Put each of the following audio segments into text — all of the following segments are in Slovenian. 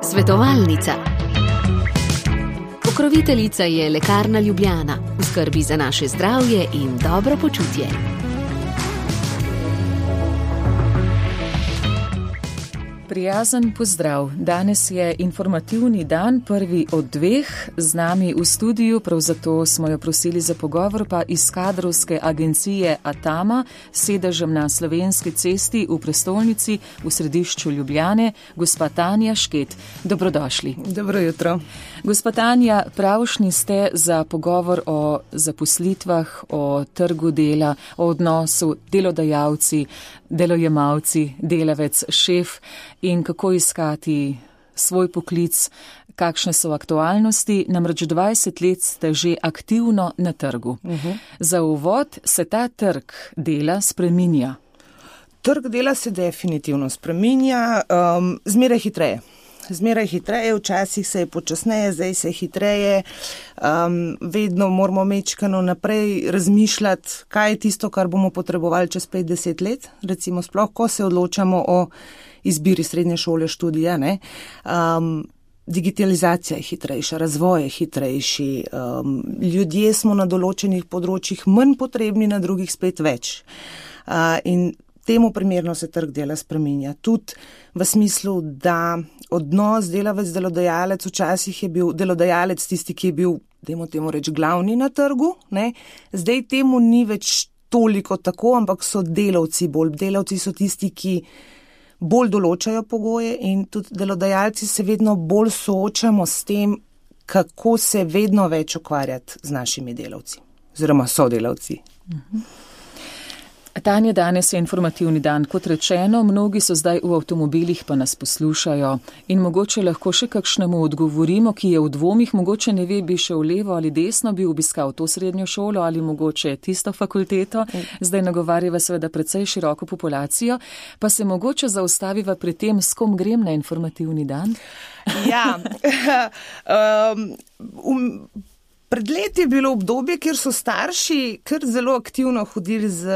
Svetovalnica. Pokroviteljica je Lekarna Ljubljana, v skrbi za naše zdravje in dobro počutje. Prijazen pozdrav. Danes je informativni dan, prvi od dveh. Z nami v studiu, prav zato smo jo prosili za pogovor, pa iz kadrovske agencije Atama, sedežem na Slovenski cesti v prestolnici v središču Ljubljane, gospa Tanja Šket. Dobrodošli. Dobro jutro. Gospa Tanja, pravšnji ste za pogovor o zaposlitvah, o trgu dela, o odnosu delodajalci, delojemalci, delavec, šef in kako iskati svoj poklic, kakšne so aktualnosti. Namreč 20 let ste že aktivno na trgu. Za uvod, se ta trg dela spreminja? Trg dela se definitivno spreminja, zmeraj hitreje. Zmeraj hitreje, včasih se je počasneje, zdaj se je hitreje, vedno moramo mečkano naprej razmišljati, kaj je tisto, kar bomo potrebovali čez 5-10 let, recimo sploh, ko se odločamo o izbiri srednje šole, študija, ne. Digitalizacija je hitrejša, razvoj je hitrejši, ljudje smo na določenih področjih manj potrebni, na drugih spet več. In temu primerno se trg dela spreminja. Tudi v smislu, da odnos delavec-delodajalec včasih je bil delodajalec tisti, ki je bil, dajmo temu reči, glavni na trgu, ne. Zdaj temu ni več toliko tako, ampak so delavci bolj. Delavci so tisti, ki bolj določajo pogoje in tudi delodajalci se vedno bolj soočamo s tem, kako se vedno več ukvarjati z našimi delavci oziroma sodelavci. Tanja, danes je informativni dan. Kot rečeno, mnogi so zdaj v avtomobilih, pa nas poslušajo in mogoče lahko še kakšnemu odgovorimo, ki je v dvomih, mogoče ne ve, bi šel levo ali desno, bi obiskal to srednjo šolo ali mogoče tisto fakulteto. Zdaj nagovarjava seveda precej široko populacijo, pa se mogoče zaustaviva pri tem, s kom grem na informativni dan? Ja, pred leti je bilo obdobje, kjer so starši kar zelo aktivno hodili z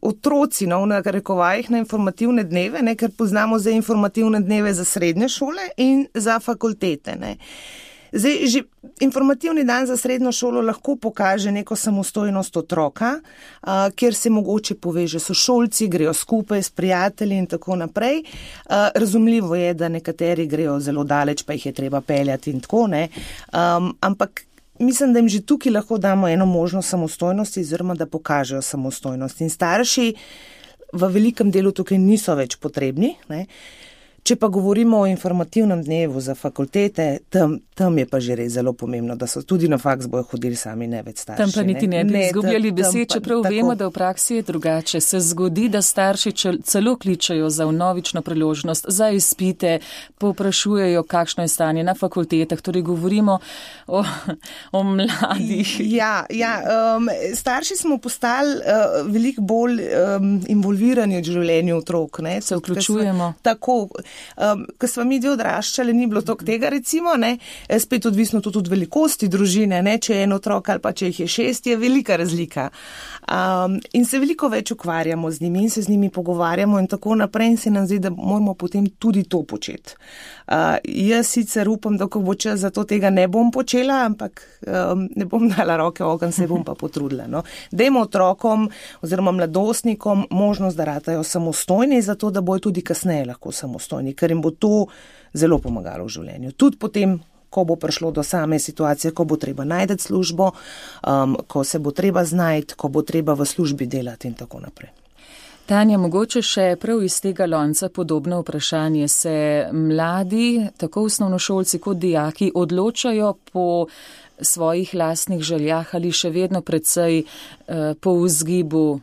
otroci, v narekovajih, na informativne dneve, ne, ker poznamo zdaj informativne dneve za srednje šole in za fakultete. Ne. Zdaj, že informativni dan za srednjo šolo lahko pokaže neko samostojnost otroka, kjer se mogoče poveže sošolci, grejo skupaj s prijatelji in tako naprej. Razumljivo je, da nekateri grejo zelo daleč, pa jih je treba peljati in tako, ne. Ampak mislim, da jim že tukaj lahko damo eno možnost samostojnosti, oziroma da pokažejo samostojnost. In starši v velikem delu tukaj niso več potrebni, ne. Če pa govorimo o informativnem dnevu za fakultete, tam je pa že res zelo pomembno, da so tudi na faks bojo hodili sami, ne več starši. Tam pa niti ne bi izgubljali besed, čeprav vemo, da v praksi je drugače. Se zgodi, da starši celo kličajo za vnovično priložnost, za izpite, povprašujejo, kakšno je stanje na fakultetah, torej govorimo o mladih. Ja, starši smo postali veliko bolj involvirani v življenju otrok. Ne? Se vključujemo. Tako. Ko smo mi odraščali, ni bilo toliko tega, recimo, ne, spet odvisno tudi od velikosti družine, ne, če je en otrok ali pa če jih je 6, je velika razlika. In se veliko več ukvarjamo z njimi in se z njimi pogovarjamo in tako naprej in se nam zdi, da moramo potem tudi to početi. Jaz sicer upam, da ko bo čas, zato tega ne bom počela, ampak ne bom dala roke v ogenj, se bom pa potrudila. No. Dajmo otrokom oziroma mladostnikom možnost, da ratajo samostojni, zato da bojo tudi kasneje lahko samostojni, ker jim bo to zelo pomagalo v življenju. Tudi potem, ko bo prišlo do same situacije, ko bo treba najti službo, ko se bo treba znajti, ko bo treba v službi delati in tako naprej. Tanja, mogoče še prav iz tega lonca podobno vprašanje. Se mladi, tako osnovnošolci kot dijaki, odločajo po svojih lastnih željah ali še vedno precej po vzgibu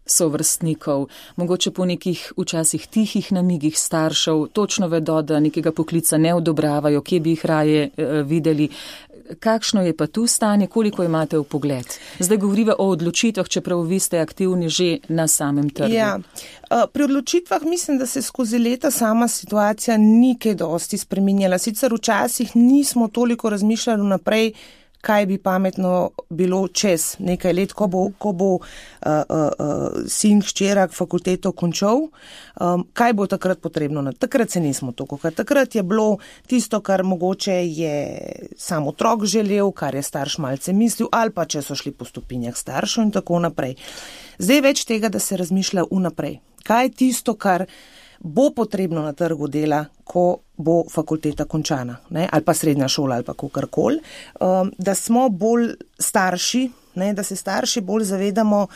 sovrstnikov, mogoče po nekih včasih tihih namigih staršev, točno vedo, da nekega poklica ne odobravajo, kje bi jih raje videli. Kakšno je pa tu stanje, koliko imate v pogled? Zdaj govoriva o odločitvah, čeprav vi ste aktivni že na samem trgu. Ja, pri odločitvah mislim, da se skozi leta sama situacija ni kaj dosti spreminjala. Sicer včasih nismo toliko razmišljali naprej, kaj bi pametno bilo čez nekaj let, ko bo sin hčera fakulteto končal, kaj bo takrat potrebno. Takrat se nismo toliko, ker takrat je bilo tisto, kar mogoče je sam otrok želel, kar je starš malce mislil, ali pa če so šli po stopinjah staršev in tako naprej. Zdaj več tega, da se razmišlja vnaprej. Kaj je tisto, kar bo potrebno na trgu dela, ko bo fakulteta končana, ne? Ali pa srednja šola ali pa kakorkoli, da smo bolj starši, ne? Da se starši bolj zavedamo,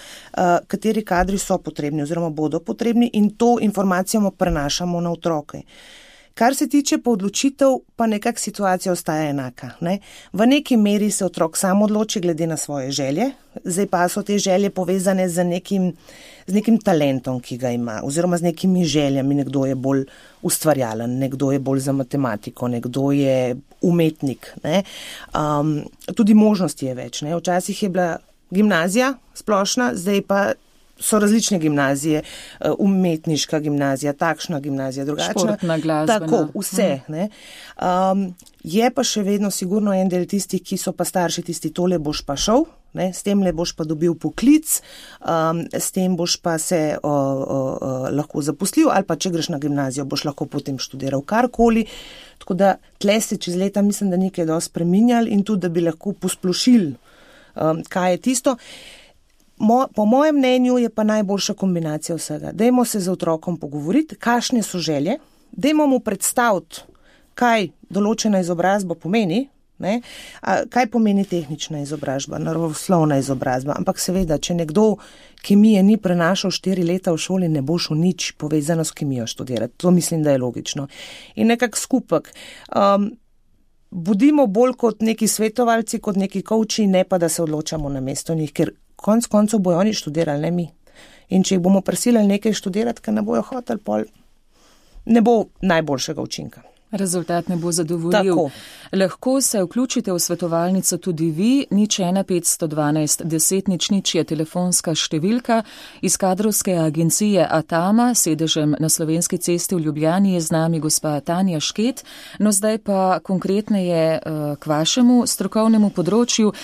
kateri kadri so potrebni oziroma bodo potrebni in to informacijo prenašamo na otroke. Kar se tiče pa odločitev, pa nekak situacija ostaja enaka. Ne? V neki meri se otrok sam odloči glede na svoje želje, zdaj pa so te želje povezane z nekim talentom, ki ga ima, oziroma z nekimi željami. Nekdo je bolj ustvarjalen, nekdo je bolj za matematiko, nekdo je umetnik. Ne? Tudi možnosti je več. Ne? Včasih je bila gimnazija splošna, zdaj pa so različne gimnazije, umetniška gimnazija, takšna gimnazija, drugačna. Športna, glasbena. Tako, vse. Ne? Je pa še vedno sigurno en del tistih, ki so pa starši tisti, tole boš pa šel, ne? S tem le boš pa dobil poklic, s tem boš pa se lahko zaposlil, ali pa če greš na gimnazijo, boš lahko potem študiral karkoli. Tako da tle se čez leta mislim, da nekaj dosti spreminjali in tudi, da bi lahko posplošili, kaj je tisto. Po mojem mnenju je pa najboljša kombinacija vsega. Dajmo se z otrokom pogovoriti, kakšne so želje, dajmo mu predstaviti, kaj določena izobrazba pomeni, ne? Kaj pomeni tehnična izobrazba, naravoslovna izobrazba, ampak seveda, če nekdo kemije ni prenašal 4 leta v šoli, ne bo šel nič povezano s kemijo študirati. To mislim, da je logično. In nekak skupek. Budimo bolj kot neki svetovalci, kot neki coachi, ne pa da se odločamo na mesto njih, ker konc koncev bojo oni študirali, ne mi. In če jih bomo prisilili nekaj študirati, ker ne bojo hoteli, pol ne bo najboljšega učinka. Rezultat ne bo zadovoljiv. Tako. Lahko se vključite v svetovalnico tudi vi, 01512 10 00 je telefonska številka. Iz kadrovske agencije Atama, sedežem na Slovenski cesti v Ljubljani, je z nami gospa Tanja Šket. No zdaj pa konkretneje k vašemu strokovnemu področju.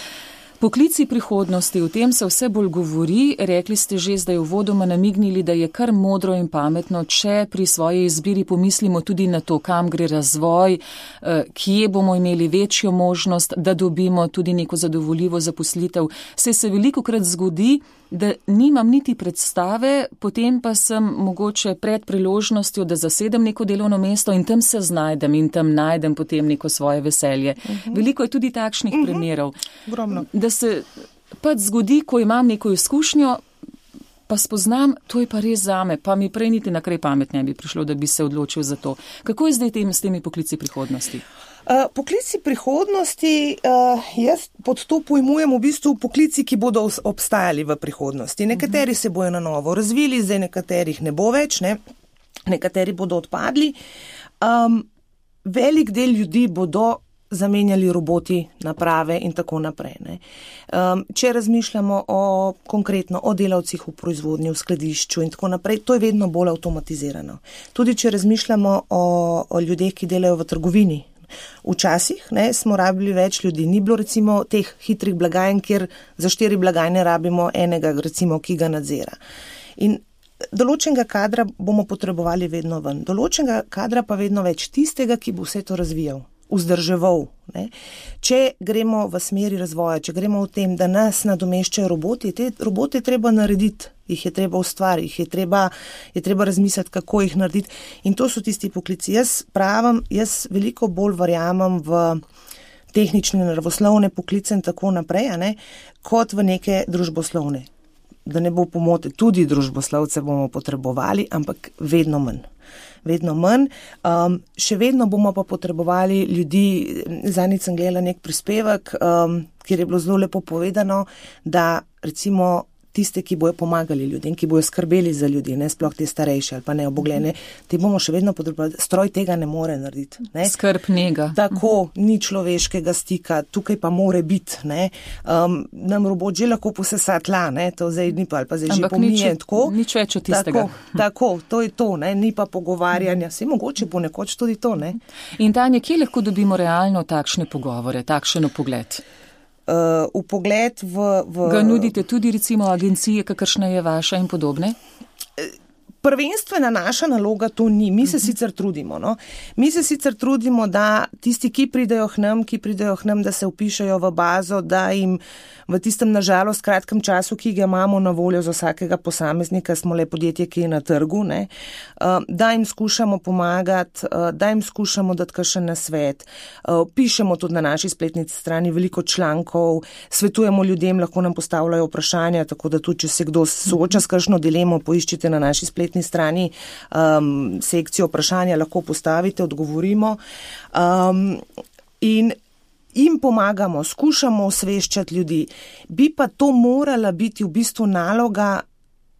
Poklici prihodnosti, o tem se vse bolj govori. Rekli ste že zdaj uvodoma namignili, da je kar modro in pametno, če pri svoji izbiri pomislimo tudi na to, kam gre razvoj, kje bomo imeli večjo možnost, da dobimo tudi neko zadovoljivo zaposlitev. Se velikokrat zgodi, da nimam niti predstave, potem pa sem mogoče pred priložnostjo, da zasedem neko delovno mesto in tam se znajdem in tam najdem potem neko svoje veselje. Veliko je tudi takšnih primerov. Ogromno. Da se pač zgodi, ko imam neko izkušnjo, pa spoznam, to je pa res zame, pa mi prej niti na kraj pamet ne bi prišlo, da bi se odločil za to. Kako je zdaj s temi poklici prihodnosti? Poklici prihodnosti, jaz pod to pojmujem v bistvu poklici, ki bodo obstajali v prihodnosti. Nekateri se bojo na novo razvili, zdaj nekaterih ne bo več, ne? Nekateri bodo odpadli. Velik del ljudi bodo zamenjali roboti, naprave in tako naprej. Ne? Če razmišljamo konkretno o delavcih v proizvodnji, v skladišču in tako naprej, to je vedno bolj avtomatizirano. Tudi če razmišljamo o ljudeh, ki delajo v trgovini. Včasih smo rabili več ljudi, ni bilo recimo teh hitrih blagajn, kjer za 4 blagajne rabimo enega, recimo, ki ga nadzira. In določenega kadra bomo potrebovali vedno ven, določenega kadra pa vedno več, tistega, ki bo vse to razvijal, vzdrževal. Ne? Če gremo v smeri razvoja, če gremo v tem, da nas nadomeščajo roboti, te robote treba narediti, jih je treba ustvariti, je treba razmisliti, kako jih narediti. In to so tisti poklici. Jaz veliko bolj verjamem v tehnične, naravoslovne poklice in tako naprej, kot v neke družboslovne. Da ne bo pomote, tudi družboslovce bomo potrebovali, ampak vedno manj. Vedno manj. Še vedno bomo pa potrebovali ljudi, zadnjič sem gledala nek prispevek, kjer je bilo zelo lepo povedano, da recimo tiste, ki bojo pomagali ljudem, ki bojo skrbeli za ljudi, ne sploh te starejše ali pa neobogljene, te bomo še vedno potrebovali. Stroj tega ne more narediti. Ne? Skrb njega. Tako, ni človeškega stika, tukaj pa more biti. Nam robot že lahko posesa tla, to zdaj ni pa, ali pa zdaj že pomije. Nič več od tistega. Tako, to je to, ni pa pogovarjanja. Saj mogoče ponekoč tudi to. In Tanja, kje lahko dobimo realno takšne pogovore, takšen pogled? vpogled v... Ga nudite tudi recimo agencije, kakršna je vaša in podobne? Prvenstvena naša naloga to ni. Mi se sicer trudimo. No? Mi se sicer trudimo, da tisti, ki pridejo k nam, da se vpišejo v bazo, da jim v tistem nažalost kratkem času, ki ga imamo na voljo za vsakega posameznika, smo le podjetje, ki je na trgu, ne? Da jim skušamo pomagati, da jim skušamo dati kakšen nasvet. Pišemo tudi na naši spletni strani veliko člankov, svetujemo ljudem, lahko nam postavljajo vprašanja, tako da tudi, če se kdo sooča s kakšno dilemo, poiščite na naši spletni strani sekcijo vprašanja, lahko postavite, odgovorimo. In jim pomagamo, skušamo osveščati ljudi. Bi pa to morala biti v bistvu naloga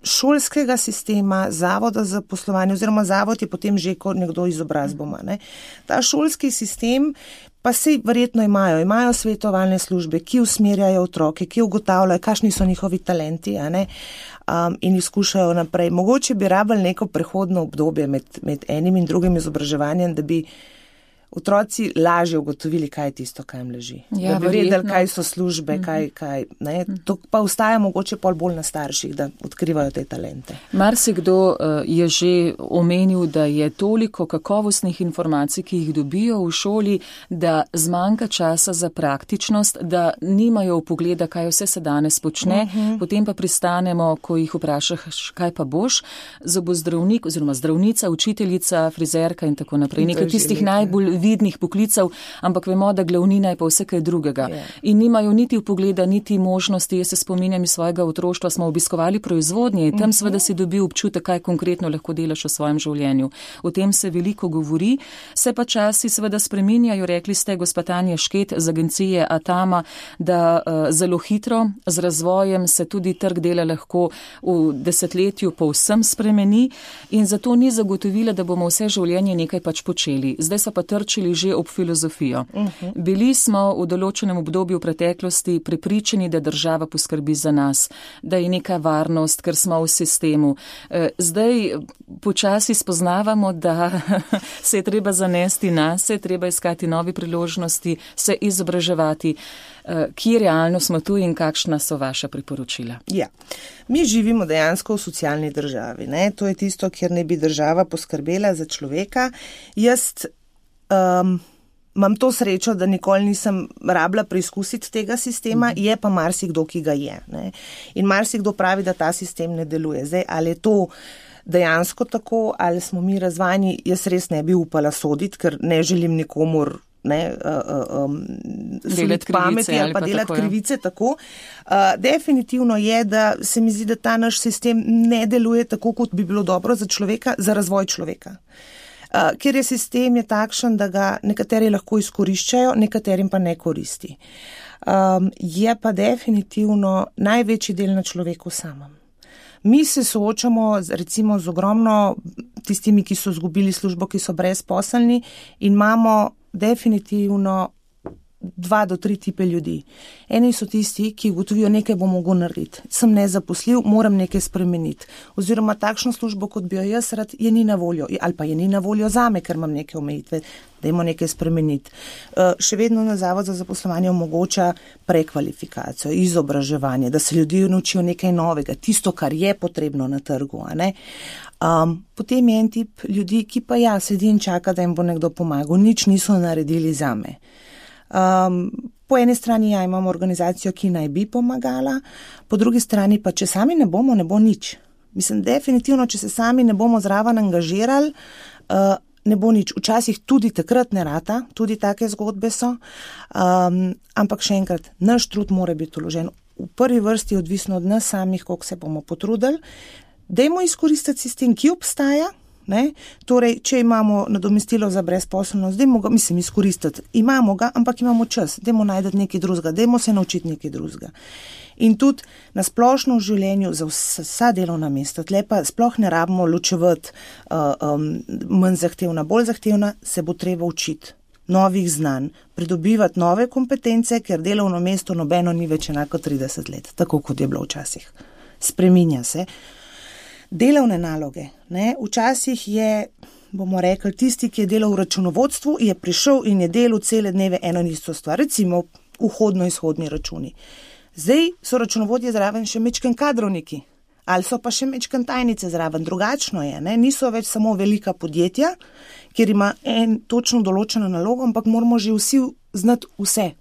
šolskega sistema, zavoda za poslovanje, oziroma zavod je potem že kot nekdo izobrazboma. Ne? Ta šolski sistem pa se verjetno imajo svetovalne službe, ki usmerjajo otroke, ki ugotavljajo, kakšni so njihovi talenti, a ne? In jih skušajo naprej. Mogoče bi rabili neko prehodno obdobje med enim in drugim izobraževanjem, da bi otroci lažje ugotovili, kaj je tisto, kaj jim leži. Ja, da bi vedeli, kaj so službe, kaj ne. To pa ostaja mogoče bolj na starših, da odkrivajo te talente. Marsikdo je že omenil, da je toliko kakovostnih informacij, ki jih dobijo v šoli, da zmanjka časa za praktičnost, da nimajo vpogleda, kaj vse se danes počne, potem pa pristanemo, ko jih vprašaš, kaj pa boš, zobozdravnik oziroma zdravnica, učiteljica, frizerka in tako naprej. Nekaj tistih najbolj vidnih poklicev, ampak vemo, da glavnina je pa vse kaj drugega. In nimajo niti vpogleda, niti možnosti. Jaz se spominjam iz svojega otroštva, smo obiskovali proizvodnje in tam seveda si dobil občutek, kaj konkretno lahko delaš v svojem življenju. O tem se veliko govori, se pa časi seveda spreminjajo. Rekli ste, gospa Tanja Šket z agencije Atama, da zelo hitro z razvojem se tudi trg dela lahko v desetletju povsem spremeni in zato ni zagotovila, da bomo vse življenje nekaj pač počeli. Zdaj so pa trčili že ob filozofijo. Bili smo v določenem obdobju v preteklosti prepričani, da država poskrbi za nas, da je neka varnost, ker smo v sistemu. Zdaj počasi spoznavamo, da se je treba zanesti nas, se je treba iskati nove priložnosti, se izobraževati. Kje realno smo tu in kakšna so vaša priporočila? Ja, mi živimo dejansko v socialni državi. Ne? To je tisto, kjer ne bi država poskrbela za človeka. Jaz imam to srečo, da nikoli nisem rabila preizkusiti tega sistema, je pa marsikdo, ki ga je. Ne? In marsikdo pravi, da ta sistem ne deluje. Zdaj, ali je to dejansko tako, ali smo mi razvajeni, jaz res ne bi upala soditi, ker ne želim nikomur delati pameti ali pa delati krivice tako. Definitivno je, da se mi zdi, da ta naš sistem ne deluje tako, kot bi bilo dobro za človeka, za razvoj človeka. Ker je sistem je takšen, da ga nekateri lahko izkoriščajo, nekaterim pa ne koristi. Je pa definitivno največji del na človeku samem. Mi se soočamo recimo z ogromno tistimi, ki so izgubili službo, ki so brezposelni in imamo definitivno 2 do 3 tipe ljudi. Eni so tisti, ki ugotovijo, nekaj bom mogel narediti. Sem nezaposljiv, moram nekaj spremeniti. Oziroma takšno službo, kot bi jo jaz rad, je ni na voljo. Ali pa je ni na voljo zame, ker imam neke omejitve, dajmo nekaj spremeniti. Še vedno na Zavod za zaposlovanje omogoča prekvalifikacijo, izobraževanje, da se ljudje naučijo nekaj novega, tisto, kar je potrebno na trgu. A ne? Potem je en tip ljudi, ki pa sedi in čaka, da jim bo nekdo pomagal. Nič niso naredili zame. Po eni strani imamo organizacijo, ki naj bi pomagala, po drugi strani pa, če sami ne bomo, ne bo nič. Mislim, definitivno, če se sami ne bomo zraven angažirali, ne bo nič. Včasih tudi takrat ne rata, tudi take zgodbe so, ampak še enkrat, naš trud mora biti vložen. V prvi vrsti odvisno od nas samih, koliko se bomo potrudili. Dajmo izkoristiti sistem, ki obstaja. Ne? Torej, če imamo nadomestilo za brezposelnost, dajmo ga, izkoristiti. Imamo ga, ampak imamo čas. Dajmo najti nekaj drugega, dajmo se naučiti nekaj drugega. In tudi na splošno v življenju za vsa delovna mesta, tle pa sploh ne rabimo ločevati manj zahtevna, bolj zahtevna, se bo treba učiti novih znanj, pridobivati nove kompetence, ker delovno mesto nobeno ni več enako 30 let, tako kot je bilo včasih. Spreminja se. Delovne naloge. Ne? Včasih je, bomo rekli, tisti, ki je delal v računovodstvu, je prišel in je delal cele dneve eno in isto stvar. Recimo vhodno-izhodni računi. Zdaj so računovodje zraven še mečken kadrovniki, ali so pa še mečken tajnice zraven. Drugačno je, ne? Niso več samo velika podjetja, kjer ima en točno določeno nalogo, ampak moramo že vsi znati vse.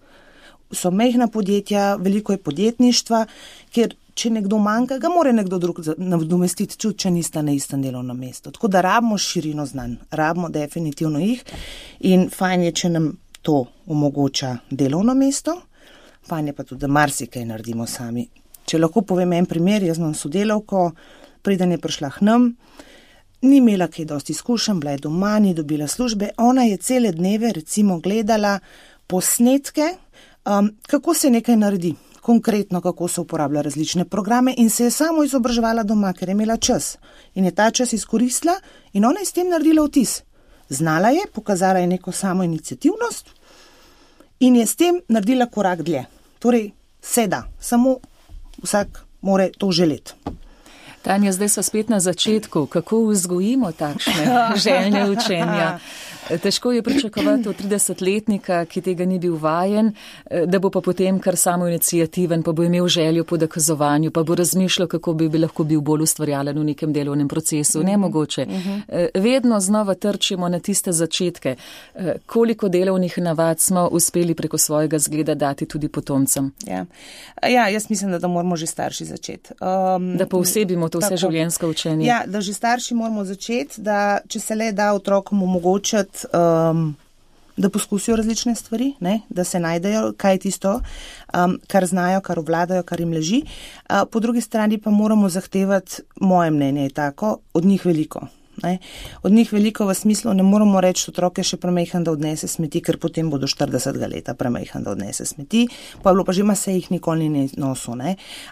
So mehna podjetja, veliko je podjetništva, ker če nekdo manjka, ga mora nekdo drug nadomestiti, če nista na istem delovnem mestu. Tako da rabimo širino znanj, rabimo definitivno jih in fajn je, če nam to omogoča delovno mesto, fajn je pa tudi, da marsikaj naredimo sami. Če lahko povem en primer, jaz imam sodelavko, preden je prišla k nam, ni imela kaj dosti izkušenj, bila je doma, ni dobila službe, ona je cele dneve recimo gledala posnetke, kako se nekaj naredi, konkretno kako se uporablja različne programe in se je samo izobraževala doma, ker je imela čas. In je ta čas izkoristila in ona je s tem naredila vtis. Znala je, pokazala je neko samo iniciativnost in je s tem naredila korak dlje. Torej, se da, samo vsak more to želeti. Tanja, zdaj so spet na začetku. Kako vzgojimo takšne željne učenja? Težko je pričakovati od 30-letnika, ki tega ni bil vajen, da bo pa potem kar samo inicijativen, pa bo imel željo po dokazovanju, pa bo razmišljal, kako bi lahko bil bolj ustvarjalen v nekem delovnem procesu. Nemogoče. Vedno znova trčimo na tiste začetke. Koliko delovnih navad smo uspeli preko svojega zgleda dati tudi potomcem? Ja, jaz mislim, da moramo že starši začeti. Da poosebimo to vse življenjsko učenje. Ja, da že starši moramo začeti, da če se le da otrokom omogočati, da poskusijo različne stvari, ne? Da se najdejo, kaj je tisto, kar znajo, kar obvladajo, kar jim leži. Po drugi strani pa moramo zahtevati, moje mnenje je tako, od njih veliko. Ne? Od njih veliko v smislu, ne moramo reči, otroke še premejhan, da odnese smeti, ker potem bodo 40 leta premejhan, da odnese smeti, pa je bilo pa že ima se jih nikoli ni nosil.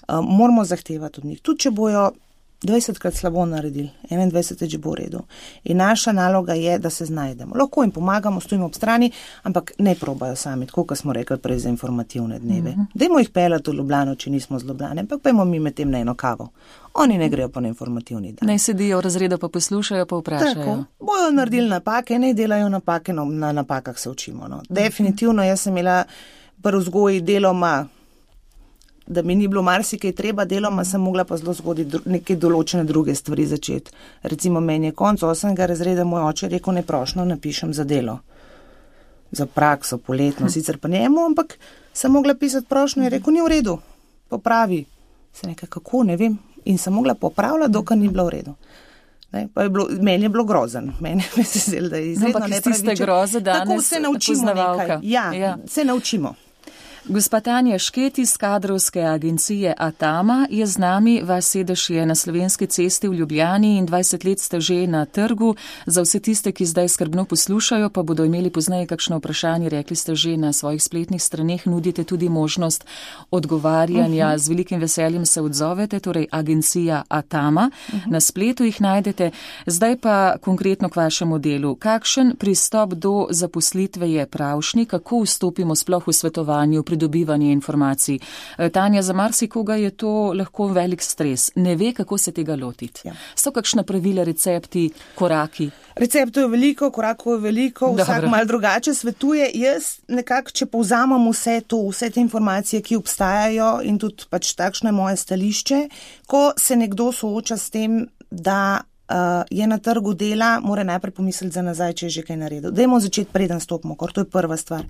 Moramo zahtevati od njih, tudi če bojo 20krat slabo naredili, 21 že bo v redu. In naša naloga je, da se znajdemo. Lahko jim pomagamo, stojimo ob strani, ampak ne probajo sami, tako kot smo rekli prej za informativne dneve. Dajmo jih peljati v Ljubljano, če nismo z Ljubljane, ampak pojmo mi med tem na eno kavo. Oni ne grejo pa na informativni dan. Naj sedijo v razredu, pa poslušajo, pa vprašajo. Tako, bojo naredili napake, ne delajo napake, na napakah se učimo. No. Definitivno, jaz sem imela pri vzgoji deloma, da mi ni bilo marsikaj treba, deloma sem mogla pa zelo zgodi neke določene druge stvari začeti. Recimo meni je konc 8. razreda moj oče rekel, ne prošnjo napišem za delo. Za prakso, poletno, sicer pa njemu, ampak sem mogla pisati prošnjo in rekel, ni v redu, popravi. Se nekaj, kako, ne vem. In sem mogla popravljati, dokaj ni bilo v redu. Ne, pa je bilo, meni je bilo grozen. Meni je se zdelo, da je izredno nepravičen. Ampak iz tiste groze danes tako se naučimo nekaj. Ja, se naučimo. Gospa Tanja Šket iz kadrovske agencije Atama je z nami. Vaš sedež je na Slovenski cesti v Ljubljani in 20 let ste že na trgu. Za vse tiste, ki zdaj skrbno poslušajo, pa bodo imeli pozneje kakšno vprašanje, rekli ste že na svojih spletnih straneh, nudite tudi možnost odgovarjanja. Z velikim veseljem se odzovete, torej agencija Atama. Na spletu jih najdete. Zdaj pa konkretno k vašemu delu. Kakšen pristop do zaposlitve je pravšnji? Kako vstopimo sploh v svetovanju, pridobivanje informacij? Tanja, za marsikoga je to lahko velik stres. Ne ve, kako se tega lotiti. Ja. So kakšna pravila, recepti, koraki? Receptov je veliko, korakov je veliko, vsak malo drugače svetuje. Jaz nekako, če povzamem vse te informacije, ki obstajajo in tudi pač takšno je moje stališče, ko se nekdo sooča s tem, da je na trgu dela, mora najprej pomisliti za nazaj, če je že kaj naredil. Dajmo začeti preden stopimo, ker to je prva stvar.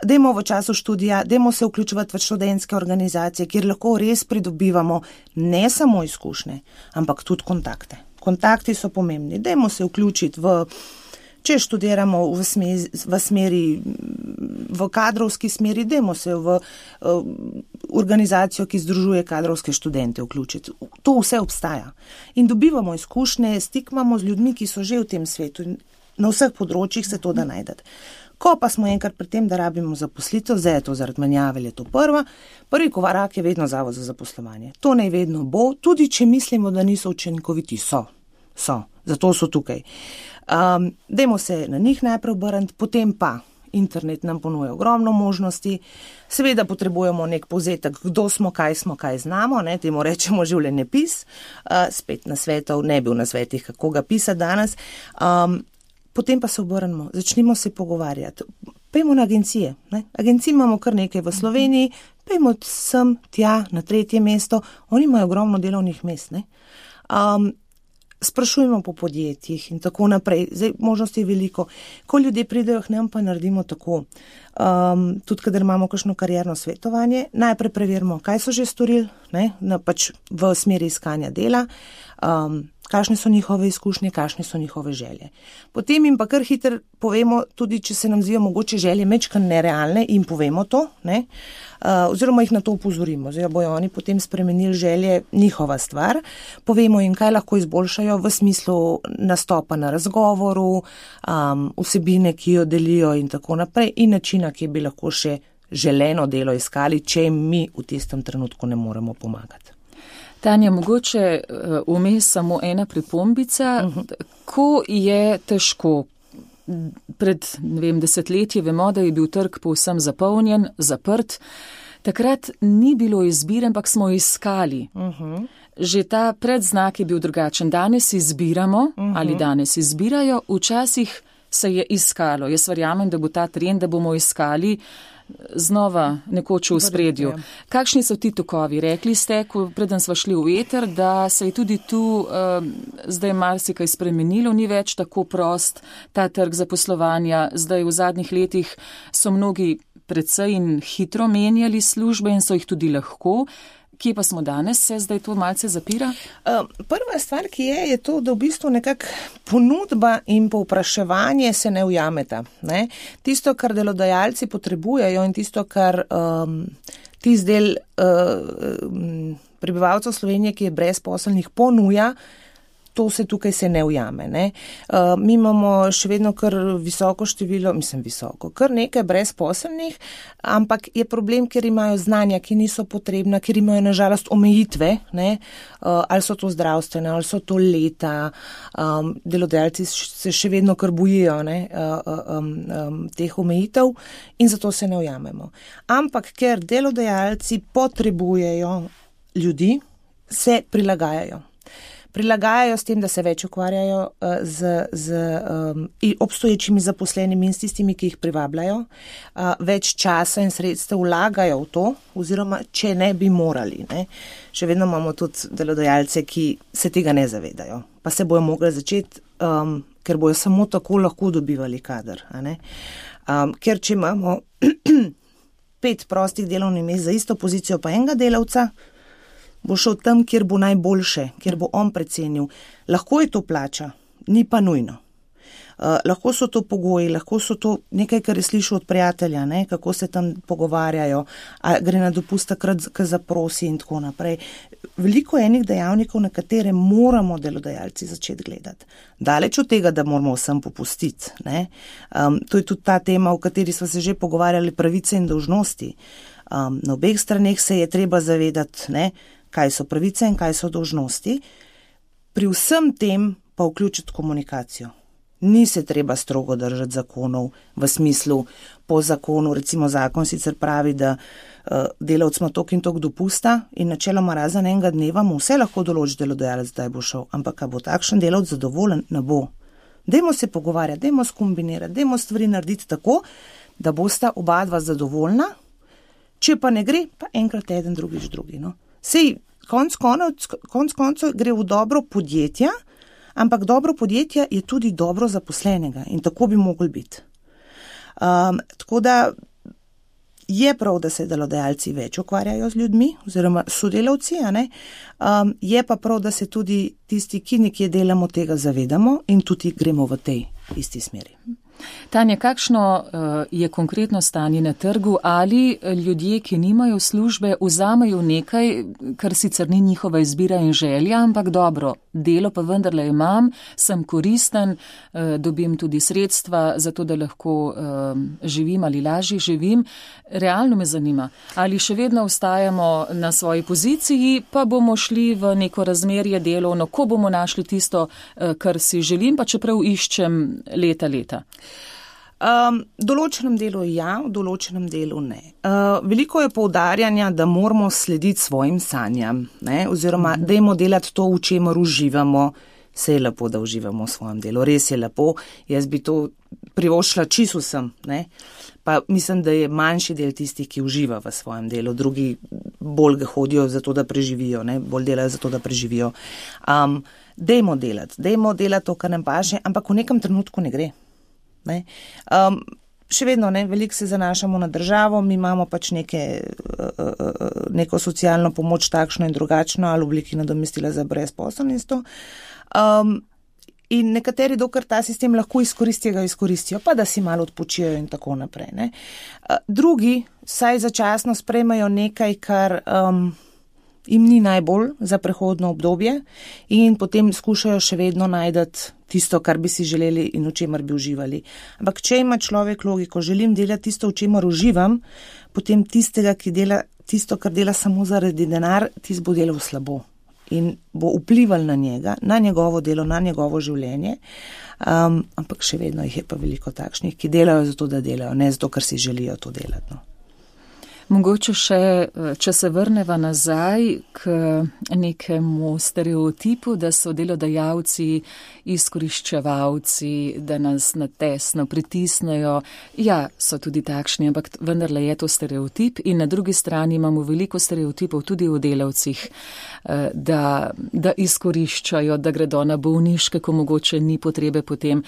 Dajmo v času študija, dajmo se vključevati v študentske organizacije, kjer lahko res pridobivamo ne samo izkušnje, ampak tudi kontakte. Kontakti so pomembni. Dajmo se vključiti če študiramo v kadrovski smeri, dajmo se v organizacijo, ki združuje kadrovske študente vključiti. To vse obstaja. In dobivamo izkušnje, stikmamo z ljudmi, ki so že v tem svetu in na vseh področjih se to da najdete. Ko pa smo enkrat pri tem, da rabimo zaposlitev, zdaj je to zaradi menjave, je to prvi korak je vedno zavod za zaposlovanje. To naj vedno bo, tudi če mislimo, da niso učinkoviti, so. Zato so tukaj. Dajmo se na njih najprej obrniti, potem pa internet nam ponuja ogromno možnosti. Seveda potrebujemo nek povzetek, kdo smo, kaj znamo, temu rečemo življenjepis. Spet na svetov, ne bil na svetih, kako ga pisati danes. Potem pa se obrnemo, začnimo se pogovarjati. pejmo na agencije. Ne? Agencij imamo kar nekaj v Sloveniji, pejmo sem, tja, na 3. mesto, oni imajo ogromno delovnih mest. Ne? Sprašujemo po podjetjih in tako naprej. Zdaj, možnosti je veliko. Ko ljudje pridejo k nam, pa naredimo tako. Tudi, kadar imamo kakšno karierno svetovanje, najprej preverimo, kaj so že storili, ne? Pač v smeri iskanja dela, kakšne so njihove izkušnje, kakšne so njihove želje. Potem jim pa kar hitro povemo, tudi če se nam zdijo mogoče želje mečkan nerealne, in povemo to, ne? Oziroma jih na to upozorimo. Zdaj bojo oni potem spremenili želje, njihova stvar. Povemo jim, kaj lahko izboljšajo v smislu nastopa na razgovoru, vsebine, ki jo delijo in tako naprej, in načina, ki bi lahko še želeno delo iskali, če jim mi v tistem trenutku ne moremo pomagati. Tanja, mogoče vmes samo ena pripombica. Ko je težko, pred 10 vemo, da je bil trg povsem zapolnjen, zaprt, takrat ni bilo izbire, ampak smo iskali. Že ta predznak je bil drugačen. Danes izbiramo ali danes izbirajo, včasih se je iskalo. Jaz verjamem, da bo ta trend, da bomo iskali znova nekoč v spredju. Kakšni so ti tokovi? Rekli ste, preden smo šli v eter, da se je tudi tu zdaj marsikaj spremenilo, ni več tako prost ta trg zaposlovanja. Zdaj v zadnjih letih so mnogi precej in hitro menjali službe in so jih tudi lahko. Kje pa smo danes, se zdaj to malce zapira? Prva stvar, ki je to, da v bistvu nekako ponudba in povpraševanje se ne ujameta. Ne? Tisto, kar delodajalci potrebujejo in tisto, kar tisti del prebivalcev Slovenije, ki je brezposelnih, ponuja, to se tukaj se ne ujame. Ne? Mi imamo še vedno kar visoko število, kar nekaj brezposelnih, ampak je problem, ker imajo znanja, ki niso potrebna, ker imajo nažalost omejitve, ne? Ali so to zdravstvene, ali so to leta, delodajalci se še vedno kar bojijo, ne? Teh omejitev in zato se ne ujamemo. Ampak ker delodajalci potrebujejo ljudi, se prilagajajo. Prilagajajo s tem, da se več ukvarjajo z obstoječimi zaposlenimi in s tistimi, ki jih privabljajo, več časa in sredstev vlagajo v to, oziroma če ne bi morali. Ne. Še vedno imamo tudi delodajalce, ki se tega ne zavedajo, pa se bojo mogli začeti, ker bojo samo tako lahko dobivali kader. A ne. Ker če imamo 5 prostih delovnih mest za isto pozicijo pa enega delavca, bo šel tam, kjer bo najboljše, kjer bo on precenil. Lahko je to plača, ni pa nujno. Lahko so to pogoji, lahko so to nekaj, kar je slišal od prijatelja, ne, kako se tam pogovarjajo, a gre na dopust takrat, ko zaprosi in tako naprej. Veliko je enih dejavnikov, na katere moramo delodajalci začeti gledati. Daleč od tega, da moramo vsem popustiti. Ne. To je tudi ta tema, o kateri smo se že pogovarjali, pravice in dolžnosti. Na obeh straneh se je treba zavedati, ne, kaj so pravice in kaj so dolžnosti. Pri vsem tem pa vključiti komunikacijo. Ni se treba strogo držati zakonov v smislu po zakonu, recimo zakon sicer pravi, da delavc ima toliko in toliko dopusta in načeloma razen enega dneva mu vse lahko določi delodajalec, da bo šel, ampak bo takšen delavc zadovoljen, ne bo. Dajmo se pogovarjati, dajmo skombinirati, dajmo stvari narediti tako, da bosta oba dva zadovoljna, če pa ne gre, pa enkrat eden, drugič drugi. No. Sej, konc koncev gre v dobro podjetja, ampak dobro podjetja je tudi dobro zaposlenega in tako bi mogli biti. Tako da je prav, da se delodajalci več ukvarjajo z ljudmi oziroma sodelavci, a ne? Je pa prav, da se tudi tisti, ki nekje delamo, tega zavedamo in tudi gremo v tej isti smeri. Tanja, kakšno je konkretno stanje na trgu? Ali ljudje, ki nimajo službe, vzamejo nekaj, kar sicer ni njihova izbira in želja, ampak dobro, delo pa vendarle imam, sem koristen, dobim tudi sredstva za to, da lahko živim ali lažje živim. Realno me zanima, ali še vedno ostajamo na svoji poziciji, pa bomo šli v neko razmerje delovno, ko bomo našli tisto, kar si želim, pa čeprav iščem leta. Določenem delu ja, v določenem delu ne. Veliko je poudarjanja, da moramo slediti svojim sanjam, ne? Oziroma dajmo delati to, v čemer uživamo. Se je lepo, da uživamo v svojem delu, res je lepo. Jaz bi to privoščila čisto vsem, ne. Pa mislim, da je manjši del tistih, ki uživa v svojem delu, drugi bolj ga hodijo zato, da preživijo, ne, bolj delajo zato, da preživijo. Dajmo delati to, kar nam paše, ampak v nekem trenutku ne gre. Ne. Še vedno, ne, veliko se zanašamo na državo, mi imamo pač neko socialno pomoč takšno in drugačno ali obliki nadomestila za brezposelnost. In nekateri, dokler ta sistem lahko izkoristijo, pa da si malo odpočijo in tako naprej. Ne. Drugi saj začasno sprejmejo nekaj, kar jim ni najbolj za prehodno obdobje in potem skušajo še vedno najdati tisto, kar bi si želeli in v čemer bi uživali. Ampak če ima človek logiko, želim delati tisto, v čemer uživam, potem tistega, ki dela tisto, kar dela samo zaradi denar, tisto bo delal slabo. In bo vplival na njega, na njegovo delo, na njegovo življenje, ampak še vedno jih je pa veliko takšnih, ki delajo zato, da delajo, ne zato, ker si želijo to delati. No. Mogoče še, če se vrneva nazaj k nekemu stereotipu, da so delodajalci izkoriščevalci, da nas na tesno pritisnejo. Ja, so tudi takšni, ampak vendarle je to stereotip in na drugi strani imamo veliko stereotipov tudi o delavcih, da izkoriščajo, da gredo na bolniške, ko mogoče ni potrebe potem.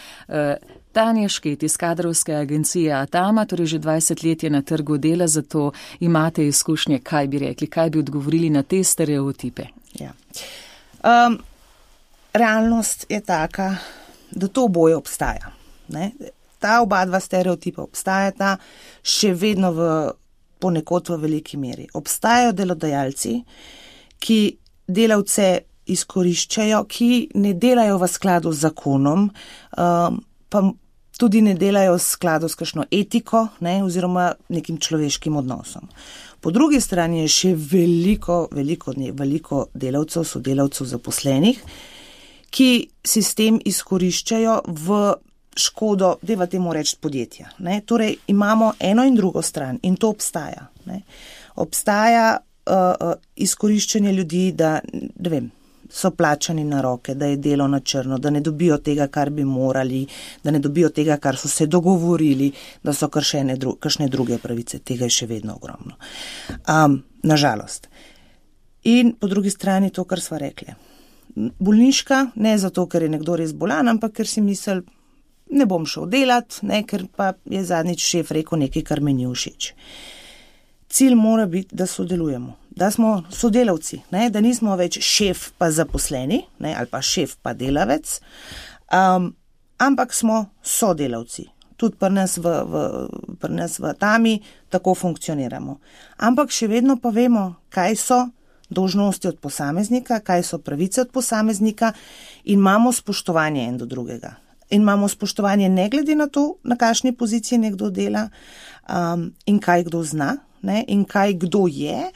Tanja Šket iz kadrovske agencije Atama, torej že 20 let je na trgu dela, zato imate izkušnje, kaj bi rekli, kaj bi odgovorili na te stereotipe. Ja. Realnost je taka, da to oboje obstaja. Ne? Ta oba dva stereotipa obstajata še vedno ponekod v veliki meri. Obstajajo delodajalci, ki delavce izkoriščajo, ki ne delajo v skladu z zakonom, pa tudi ne delajo v skladu s kakšno etiko, ne, oziroma nekim človeškim odnosom. Po drugi strani je še veliko delavcev, sodelavcev zaposlenih, ki sistem izkoriščajo v škodo, dajva temu reči, podjetja. Ne. Torej imamo eno in drugo stran in to obstaja. Ne. Obstaja izkoriščanje ljudi, da ne vem, so plačani na roke, da je delo na črno, da ne dobijo tega, kar bi morali, da ne dobijo tega, kar so se dogovorili, da so kršene kakšne druge pravice. Tega je še vedno ogromno. Nažalost. In po drugi strani to, kar sva rekli. Bolniška, ne zato, ker je nekdo res bolan, ampak ker si misli, ne bom šel delati, ne, ker pa je zadnjič šef rekel nekaj, kar mi ni všeč. Cilj mora biti, da sodelujemo, da smo sodelavci, ne, da nismo več šef pa zaposleni, ne, ali pa šef pa delavec, ampak smo sodelavci. Tudi pri nas v Atami tako funkcioniramo. Ampak še vedno pa vemo, kaj so dolžnosti od posameznika, kaj so pravice od posameznika in imamo spoštovanje en do drugega. In imamo spoštovanje ne glede na to, na kakšni poziciji nekdo dela in kaj kdo zna. Ne, in kaj kdo je,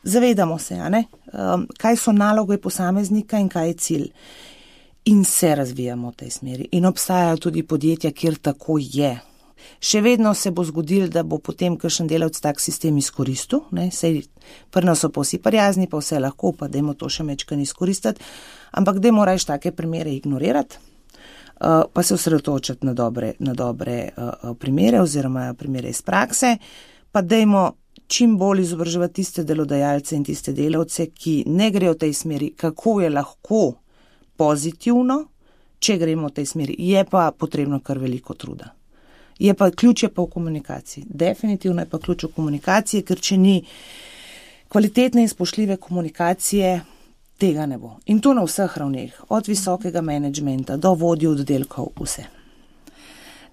zavedamo se, kaj so naloge posameznika in kaj je cilj. In se razvijamo v tej smeri. In obstajajo tudi podjetja, kjer tako je. Še vedno se bo zgodilo, da bo potem kakšen delavec tak sistem izkoristil. Sej pri nas so pa vsi prijazni, pa vse lahko, pa dajmo to še mečkan izkoristiti. Ampak dajmo raje take primere ignorirati, pa se osredotočiti na dobre primere oziroma primere iz prakse. Pa dajmo čim bolj izobraževati tiste delodajalce in tiste delavce, ki ne grejo v tej smeri, kako je lahko pozitivno, če gremo v tej smeri. Je pa potrebno kar veliko truda. Ključ je pa v komunikaciji. Definitivno je pa ključ v komunikaciji, ker če ni kvalitetne in spoštljive komunikacije, tega ne bo. In to na vseh ravneh, od visokega menedžmenta do vodij oddelkov, vse.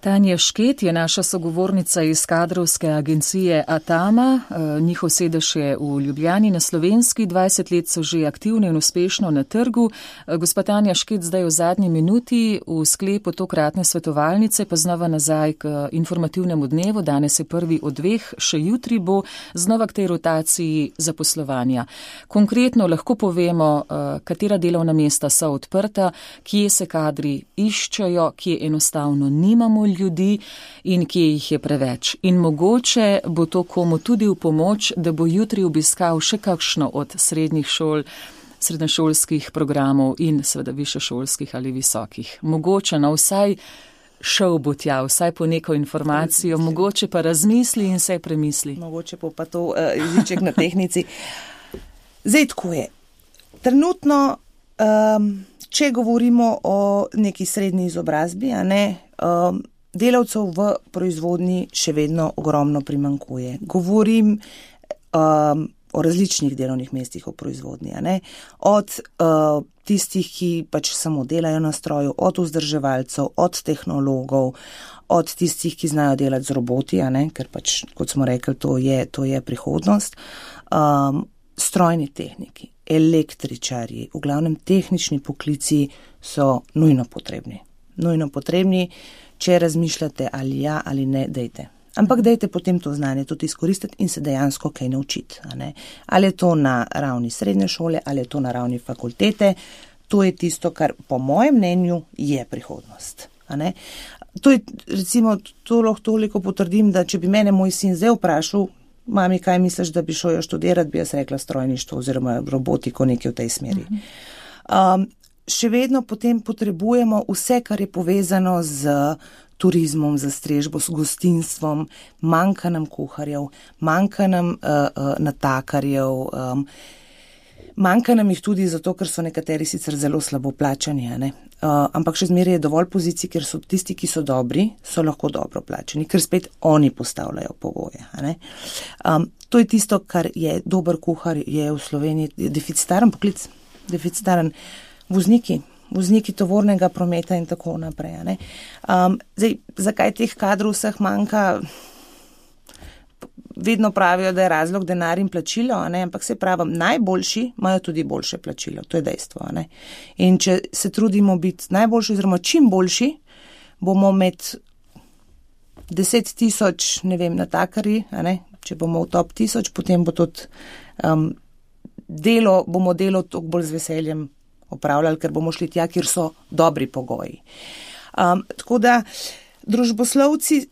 Tanja Šket je naša sogovornica iz kadrovske agencije Atama. Njihov sedež je v Ljubljani na Slovenski. 20 let so že aktivni in uspešno na trgu. Gospa Tanja Šket, zdaj v zadnji minuti v sklepu tokratne svetovalnice, pa znova nazaj k informativnemu dnevu. Danes je prvi od dveh, še jutri bo znova k tej rotaciji zaposlovanja. Konkretno lahko povemo, katera delovna mesta so odprta, kje se kadri iščejo, kje enostavno nimamo ljudi in kje jih je preveč. In mogoče bo to komu tudi v pomoč, da bo jutri obiskal še kakšno od srednjih šol, srednješolskih programov in seveda višješolskih ali visokih. Mogoče na vsaj šel bo tja, vsaj po neko informacijo, mogoče pa razmisli in se premisli. Mogoče pa to jeziček na tehnici. Zdaj tako je. Trenutno, če govorimo o neki srednji izobrazbi, delavcev v proizvodnji še vedno ogromno primanjkuje. Govorim o različnih delovnih mestih v proizvodnji, od tistih, ki pač samo delajo na stroju, od vzdrževalcev, od tehnologov, od tistih, ki znajo delati z roboti, ker pač, kot smo rekli, to je prihodnost, strojni tehniki, električarji, v glavnem tehnični poklici so nujno potrebni. Nujno potrebni, če razmišljate ali ja ali ne, dejte. Ampak dejte potem to znanje tudi izkoristiti in se dejansko kaj naučiti. Ali je to na ravni srednje šole, ali je to na ravni fakultete, to je tisto, kar po mojem mnenju je prihodnost. To je, recimo, to lahko toliko potrdim, da če bi mene moj sin zdaj vprašal, mami, kaj misliš, da bi šel študirati, bi jaz rekla strojništvo oziroma robotiko, nekaj v tej smeri. Še vedno potem potrebujemo vse, kar je povezano z turizmom, za strežbo, s gostinstvom, manjka nam kuharjev, manjka nam natakarjev, manjka nam jih tudi zato, ker so nekateri sicer zelo slabo plačani, ampak še zmeraj je dovolj pozicij, ker so tisti, ki so dobri, so lahko dobro plačani, ker spet oni postavljajo pogoje. To je tisto, kar je dober kuhar, je v Sloveniji deficitaren poklic, deficitaren vozniki tovornega prometa in tako naprej. Zdaj, zakaj teh kadrov vseh manjka? Vedno pravijo, da je razlog denar in plačilo, ampak se pravim, najboljši imajo tudi boljše plačilo, to je dejstvo. In če se trudimo biti najboljši, oziroma čim boljši, bomo med 10,000, natakarji, če bomo v top 1000, potem bo tudi bomo delo toliko bolj z veseljem opravljali, ker bomo šli tja, kjer so dobri pogoji. Tako da družboslovci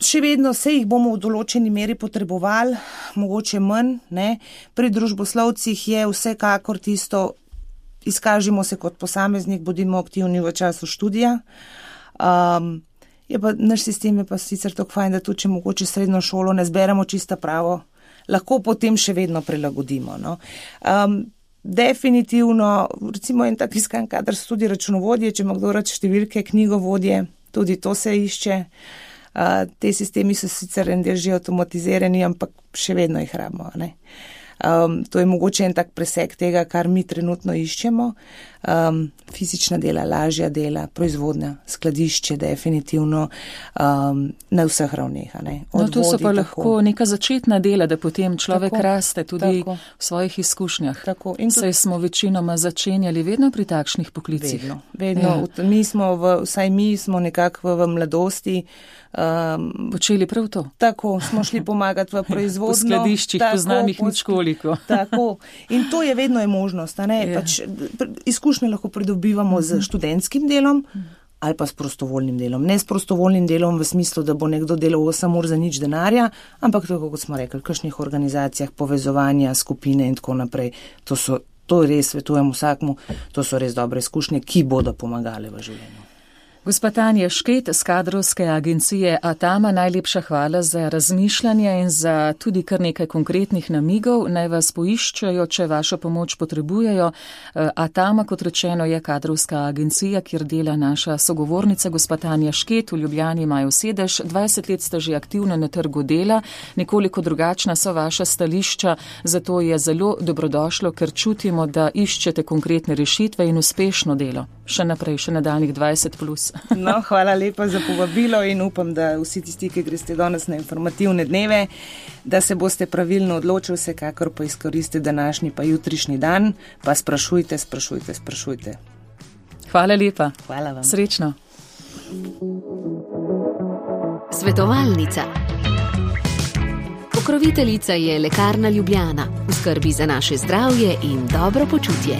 še vedno se jih bomo v določeni meri potrebovali, mogoče manj, Pri družboslovcih je vsekakor tisto, izkažimo se kot posameznik, bodimo aktivni v času študija. Naš sistem je pa sicer tako fajn, da tudi, če mogoče srednjo šolo ne zberemo čisto pravo, lahko potem še vedno prilagodimo. Definitivno, recimo en tak iskan kader so tudi računovodje, če ima kdo rad številke, knjigovodje, tudi to se išče. Te sistemi so sicer en del že avtomatizirani, ampak še vedno jih rabimo. To je mogoče en tak preseg tega, kar mi trenutno iščemo. Fizična dela, lažja dela, proizvodnja, skladišče, definitivno na vseh ravneh. To so pa lahko neka začetna dela, da potem človek raste tudi v svojih izkušnjah. Saj smo večinoma začenjali vedno pri takšnih poklicih. Vedno. Vsaj mi smo nekako v mladosti počeli prav to. Tako, smo šli pomagati v proizvodnjo. Po skladiščih, poznam jih ničkoliko. Tako. In to je vedno je možnost. Pač izkušnje lahko pridobivamo z študentskim delom ali pa s prostovoljnim delom. Ne s prostovoljnim delom v smislu, da bo nekdo delal 8 ur za nič denarja, ampak tako, kot smo rekli, v kakšnih organizacijah, povezovanja, skupine in tako naprej. To res svetujem vsakmu, to so res dobre izkušnje, ki bodo pomagale v življenju. Gospa Tanja Šket z kadrovske agencije Atama, najlepša hvala za razmišljanje in za tudi kar nekaj konkretnih namigov. Naj vas poiščejo, če vašo pomoč potrebujejo. Atama, kot rečeno, je kadrovska agencija, kjer dela naša sogovornica, gospa Tanja Šket. V Ljubljani imajo sedež, 20 let ste že aktivno na trgu dela, nekoliko drugačna so vaša stališča, zato je zelo dobrodošlo, ker čutimo, da iščete konkretne rešitve in uspešno delo. Še naprej, še nadaljnih 20+. Hvala lepa za povabilo in upam, da vsi tisti, ki greste danes na informativne dneve, da se boste pravilno odločili, vsekakor pa izkoristite današnji pa jutrišnji dan, pa sprašujte. Hvala lepa. Hvala vam. Srečno. Svetovalnica. Pokroviteljica je Lekarna Ljubljana, v skrbi za naše zdravje in dobro počutje.